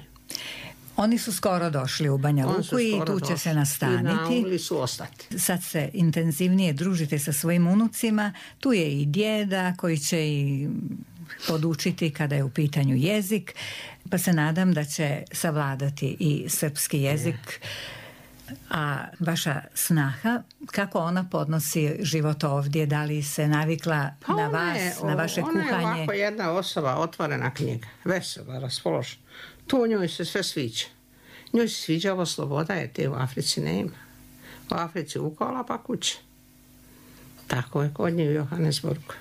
Oni su skoro došli u Banja Luku i tu će se nastaniti. I naumili su ostati. Sad se intenzivnije družite sa svojim unucima. Tu je i djeda koji će i podučiti kada je u pitanju jezik. Pa se nadam da će savladati i srpski jezik. A vaša snaha, kako ona podnosi život ovdje? Da li se navikla na vas, na vaše kuhanje? Ona je ovako jedna osoba, otvorena knjiga, vesela, raspoložena. To njoj se sve sviđa. Njoj se sviđa ovo sloboda, jer te u Africi nema. U Africi ukola pa kuće. Tako je kod nje u Johannesburgu.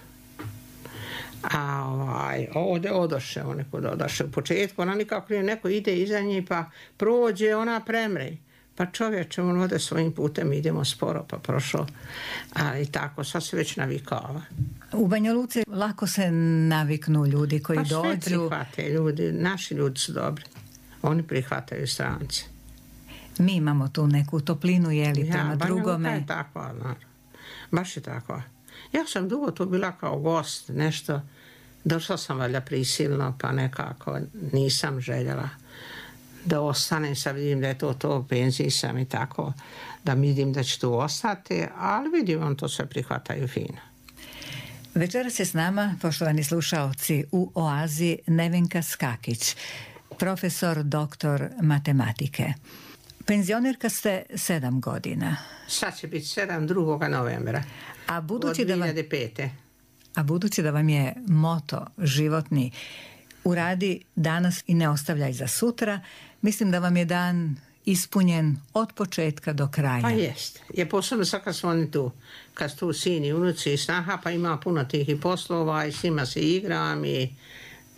A ovdje odoše, nekud odoše. U početku ona nikako neko ide iza nje pa prođe, ona premre. Pa čovječe, on ode svojim putem, idemo sporo, pa prošao. Ali tako, sad se već navikava. U Banja Luci lako se naviknu ljudi koji dođu. Pa sve prihvate ljudi, naši ljudi su dobri. Oni prihvataju strance. Mi imamo tu neku toplinu, jeli, prema drugome. Banja Luka je takva, naravno. Baš je takva. Ja sam dugo tu bila kao gost, nešto. Došla sam valjda prisilno, pa nekako nisam željela da ostanem, sad vidim da je to, penziji sam i tako, da vidim da će tu ostati, ali vidim, on to sve prihvataju fino. Večeras je s nama, poštovani slušaoci, u Oazi Nevenka Skakić, profesor, doktor matematike. Penzionerka ste 7 godina. Sad će biti 7. 2. novembra. A budući od 2005. A budući da vam je moto životni uradi danas i ne ostavljaj za sutra, mislim da vam je dan ispunjen od početka do kraja. Pa jest. Je posebno sad kad su oni tu, kad su tu sini, unuci i snaha, pa ima puno tih i poslova i s njima se igram i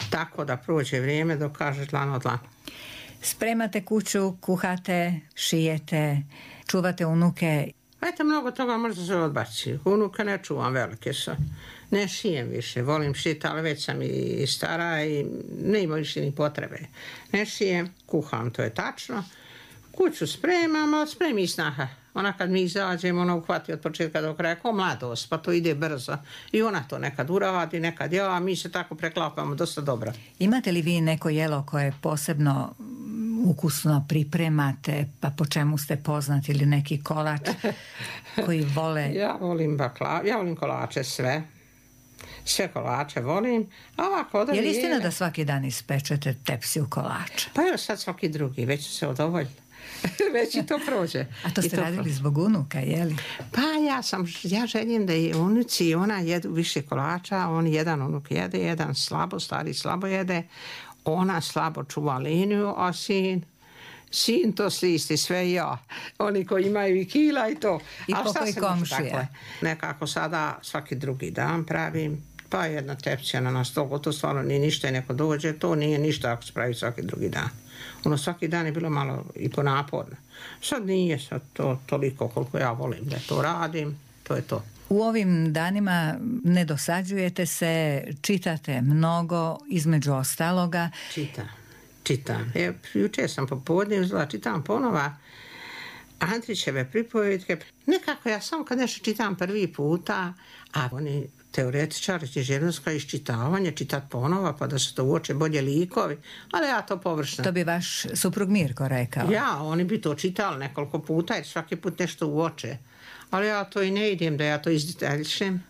tako da prođe vrijeme dok kažeš dlan od dlan. Spremate kuću, kuhate, šijete, čuvate unuke. Eto, mnogo toga možda se odbaci. Unuke ne čuvam, velike su. Ne šijem više, volim šiti, ali već sam i stara i ne ima više ni potrebe. Ne šijem, kuham, to je tačno. Kuću spremam, ali spremi i snaha. Ona kad mi izađemo, ona uhvati od početka do kraja, kao mladost, pa to ide brzo. I ona to nekad uradi, nekad ja, a mi se tako preklapamo dosta dobro. Imate li vi neko jelo koje posebno ukusno pripremate, pa po čemu ste poznati, ili neki kolač koji vole? Ja volim baklavu, ja volim kolače sve. Sve kolače volim. A ovako, je li istina da svaki dan ispečete tepsiju kolača? Pa evo sad svaki drugi, već se odovoljili. Već i to prođe. A to ste radili zbog unuka, je li? Pa ja želim da i unuci i ona jedu više kolača, on jedan unuk jede, jedan stari slabo jede, ona slabo čuva liniju, a sin to slisti, sve ja. Oni koji imaju i kila i to. I pokoj komšija. Nekako sada svaki drugi dan pravim, pa jedna tepsija na stolu, to stvarno nije ništa i neko dođe, to nije ništa ako se pravi svaki drugi dan. Ono svaki dan je bilo malo i ponaporno. Sad nije sad to toliko koliko ja volim da to radim, to je to. U ovim danima ne dosađujete se, čitate mnogo, između ostaloga. Čitam. Jučer sam popodne uzela, čitam ponova Andrićeve pripovedke. Nekako ja samo kad nešto čitam prvi puta, a oni teoretičar, književnostka, iščitavanje, čitati ponova pa da se to uoče bolje likovi, ali ja to površno. To bi vaš suprug Mirko rekao. Ja, oni bi to čitali nekoliko puta jer svaki put nešto uoče. Ali ja to i ne idem da ja to izdetaljšem.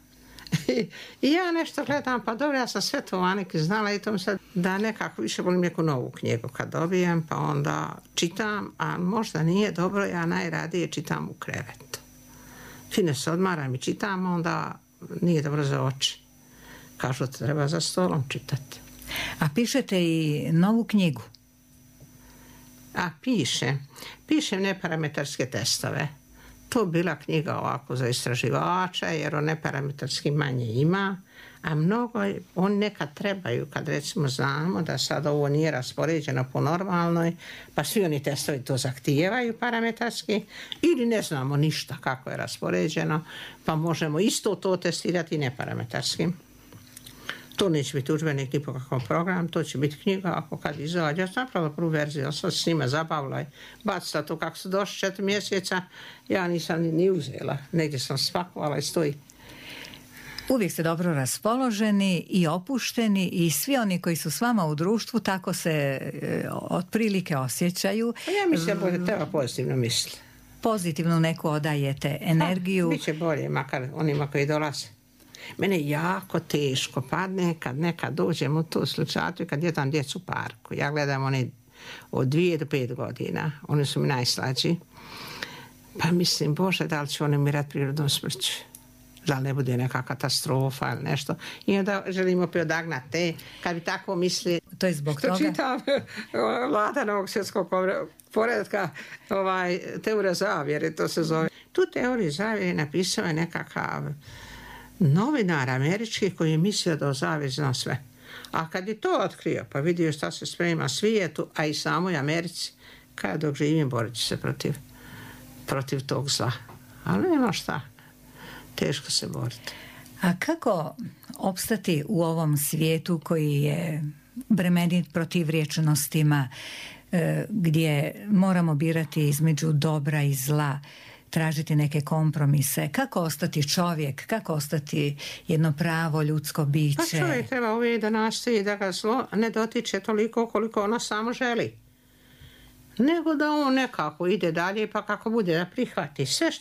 I ja nešto gledam, pa dobro, ja sam sve to Aniki znala i to sad da nekako više volim neku novu knjigu kad dobijem, pa onda čitam, a možda nije dobro, ja najradije čitam u krevetu. Fine se odmaram i čitam, onda nije dobro za oči. Kažu da treba za stolom čitati. A pišete i novu knjigu? A pišem neparametarske testove. To bila knjiga ovako za istraživača, jer o neparametarski manje ima, a mnogo oni nekad trebaju, kad recimo znamo da sad ovo nije raspoređeno po normalnoj, pa svi oni testovi to zahtijevaju parametarski, ili ne znamo ništa kako je raspoređeno, pa možemo isto to testirati neparametarski. To neće biti udžbenik ni po kakvom programu, to će biti knjiga ako kad izađe. Ja sam napravila prvu verziju, ja sam s njima zabavila i bacila to kako su došli 4 mjeseca, ja nisam ni uzela. Negdje sam spakovala i stoji. Uvijek ste dobro raspoloženi i opušteni i svi oni koji su s vama u društvu tako se otprilike osjećaju. Ja mislim da treba pozitivno misliti. Pozitivno neku odajete energiju. Biće bolje, makar onima koji dolaze. Mene jako teško padne kad nekad dođem u tu slučaju kad jedam djecu u parku. Ja gledam one od 2 do 5 godina. Oni su mi najslađi. Pa mislim, Bože, da li će oni umirati prirodnom smrću? Da li ne bude neka katastrofa ili nešto. I onda želimo odagnati te. Kad bi tako misli... To je zbog toga? Što čitam Vlada Novog svjetskog poretka, teorija zavjere, to se zove. Tu teoriju zavjere napisao je nekakav novinar američki koji je mislio da zavije zna sve. A kad je to otkrio, pa vidio šta se sprema svijetu, a i samoj Americi, kada dok živim borit će se protiv tog zla. Ali nema šta. Teško se boriti. A kako opstati u ovom svijetu koji je bremenit protivrječnostima, gdje moramo birati između dobra i zla, tražiti neke kompromise? Kako ostati čovjek? Kako ostati jedno pravo ljudsko biće? Pa čovjek treba uvijek da nastoji da ga zlo ne dotiče toliko koliko ono samo želi. Nego da on nekako ide dalje pa kako bude da prihvati. Sve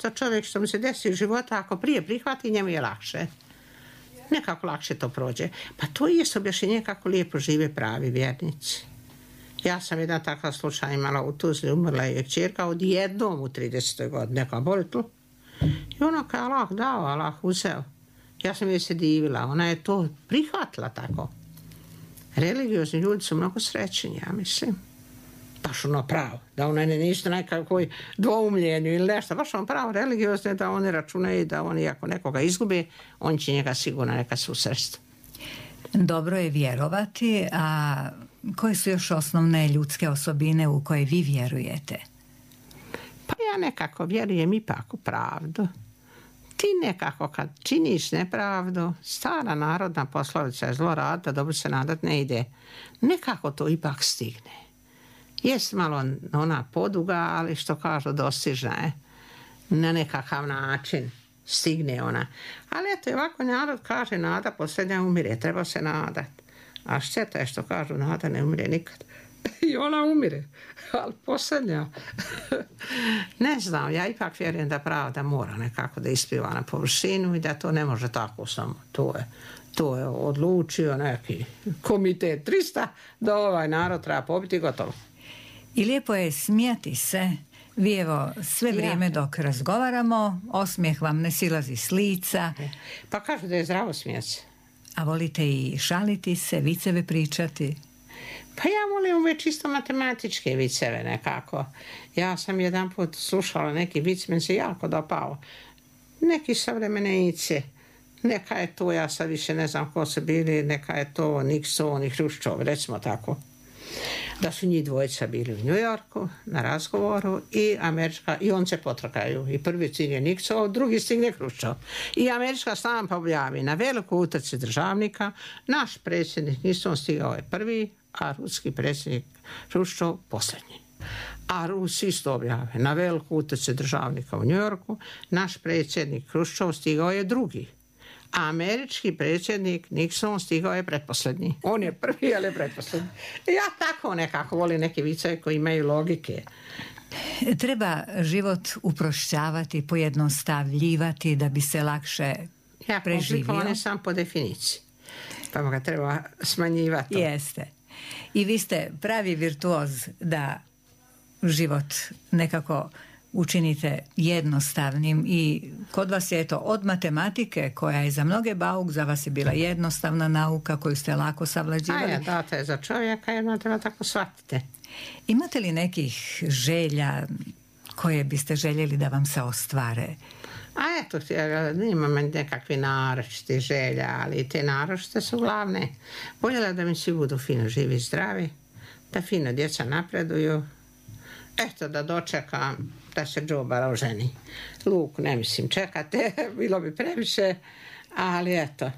što mu se desi u životu, ako prije prihvati, njemu je lakše. Nekako lakše to prođe. Pa to je objašnjenje kako lijepo žive pravi vjernici. Ja sam jedan takav slučaj imala u Tuzli, umrla je kćerka odjednom u 30. godini, neka boli tu. I ono kao Allah dao, Allah uzeo. Ja sam joj se divila, ona je to prihvatila tako. Religiozni ljudi su mnogo srećeni, ja mislim. Baš ono pravo, da ona ne ništa nekakvoj dvoumljenju ili nešto, baš ono pravo religiozne da oni računaju da oni ako nekoga izgube, on će njega sigurno neka susresti. Dobro je vjerovati, a koje su još osnovne ljudske osobine u koje vi vjerujete? Pa ja nekako vjerujem ipak u pravdu. Ti nekako kad činiš nepravdu, stara narodna poslovica je zlo rad, da dobro se nadat ne ide. Nekako to ipak stigne. Jest malo ona poduga, ali što kažu dostižna je. Na nekakav način stigne ona. Ali eto, ovako narod kaže nada posljednja umire, treba se nadat. A šteta je što kažu nada ne umire nikad. I ona umire, ali posljednja. Ne znam, ja ipak vjerujem da pravda mora nekako da ispiva na površinu i da to ne može tako samo. To je odlučio neki komitet 300 da ovaj narod treba pobiti i gotovo. I lijepo je smijati se. Vi evo sve vrijeme dok razgovaramo, osmijeh vam ne silazi s lica. Pa kažu da je zdravo smijati se. A volite i šaliti se, viceve pričati? Pa ja volim uvijek čisto matematičke viceve nekako. Ja sam jedan put slušala neki vic, meni se jako dopao. Neki savremenici. Neka je to, ja sad više ne znam ko su bili, neka je to Nixon i Hruščov, recimo tako. Da su njih dvojica bili u New Yorku na razgovoru i on se potrkaju. I prvi stigne Nixon, drugi stigne Hruščov. I američka stampa objavi na velikoj utrci državnika, naš predsjednik Nixon stigao je prvi, a ruski predsjednik Hruščov posljednji. A Rusi isto objave na veliku utrci državnika u New Yorku, naš predsjednik Hruščov stigao je drugi, A američki predsjednik Nixon stigao je pretposljednji. On je prvi, ali je pretposljednji. Ja tako nekako volim neke viceve koji imaju logike. Treba život uprošćavati, pojednostavljivati da bi se lakše preživio. Komplikovan je sam po definiciji. Pa ga treba smanjivati. Jeste. I vi ste pravi virtuoz da život nekako učinite jednostavnim i kod vas je od matematike koja je za mnoge bauk, za vas je bila jednostavna nauka koju ste lako savlađivali. Data je za čovjeka, jedno treba tako shvatite. Imate li nekih želja koje biste željeli da vam se ostvare? Nemam nekakve naročite želja, ali te naročite su glavne. Voljela da mi svi budu fino živi i zdravi, da fino djeca napreduju. Eto, da dočekam da se džoba oženi. Luk ne mislim čekate, bilo bi previše, ali eto,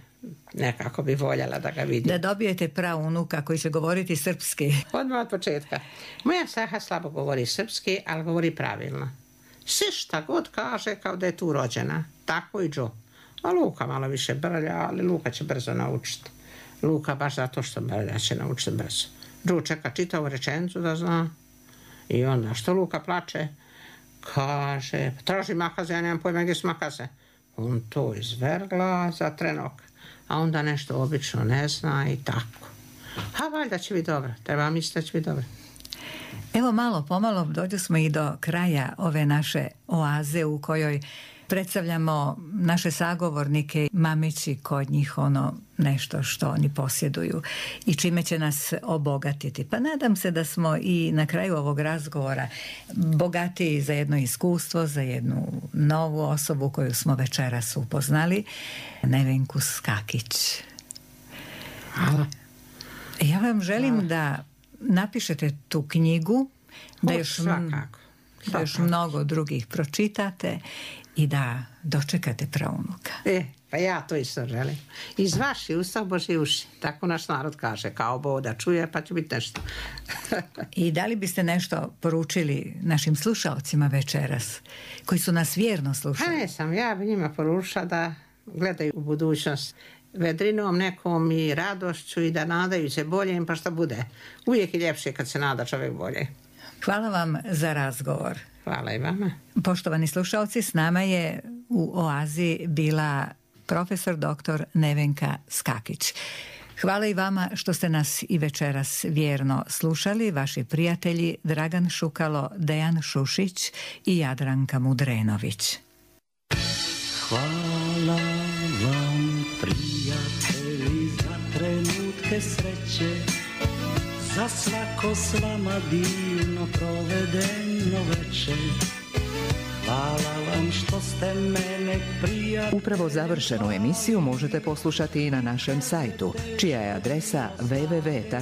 nekako bi voljela da ga vidim. Da dobijete praunuka koji će govoriti srpski. Odmah od početka. Moja Saha slabo govori srpski, ali govori pravilno. Sve šta god kaže kao da je tu rođena. Tako i Džo. A Luka malo više brlja, ali Luka će brzo naučiti. Luka baš zato što brlja će naučiti brzo. Džo čeka čitavu rečenicu da zna. I onda što Luka plače? Kaže, traži makaze, ja nemam pojma gdje su makaze. On to izvergla za trenok. A onda nešto obično ne zna i tako. A valjda će biti dobro. Treba misliti da će biti dobro. Evo malo pomalo dođu smo i do kraja ove naše oaze u kojoj predstavljamo naše sagovornike, mameći kod njih nešto što oni posjeduju i čime će nas obogatiti. Pa nadam se da smo i na kraju ovog razgovora bogatiji za jedno iskustvo, za jednu novu osobu koju smo večeras upoznali, Nevenku Skakić. Hvala. Ja vam želim da napišete tu knjigu, da još mnogo drugih pročitate i da dočekate praunuka. Pa ja to isto želim. Iz vaših usta Božji uši. Tako naš narod kaže, kao Bog da čuje, pa će biti nešto. I da li biste nešto poručili našim slušalcima večeras, koji su nas vjerno slušali? Ja bi njima poručila da gledaju u budućnost vedrinom nekom i radošću i da nadaju se boljem, pa šta bude. Uvijek je ljepše kad se nada čovjek bolje. Hvala vam za razgovor. Hvala i vama. Poštovani slušalci, s nama je u oazi bila profesor dr. Nevenka Skakić. Hvala i vama što ste nas i večeras vjerno slušali, vaši prijatelji Dragan Šukalo, Dejan Šušić i Jadranka Mudrenović. Hvala vam, prijatelji, za trenutke sreće, za svako s vama divno provedeno večer. Hvala vam što ste mene prijatelji. Upravo završenu emisiju možete poslušati i na našem sajtu, čija je adresa www.rtrs.tv.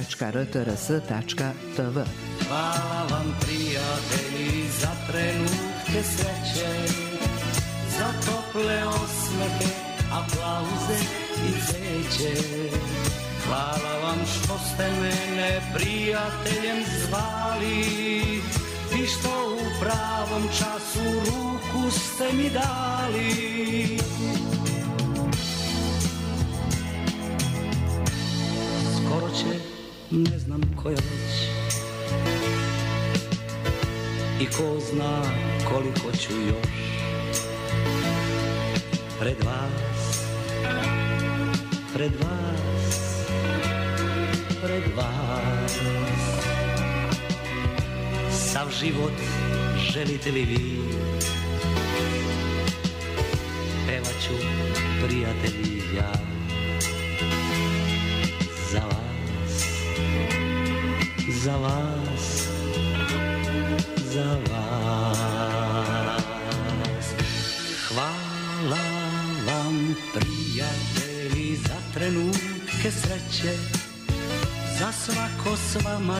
Hvala vam, prijatelji, za trenutke sreće, za tople osmehe, aplauze i cveće. Hvala vam što ste mene prijateljem zvali i što u pravom času ruku ste mi dali. Skoro će, ne znam koja već, i ko zna koliko ću još pred vas, pred vas. Sav život želite li vi, pevat ću, prijatelji, ja za vas, za vas, za vas. Hvala vam, prijatelji, za trenutke sreće, za svako s vama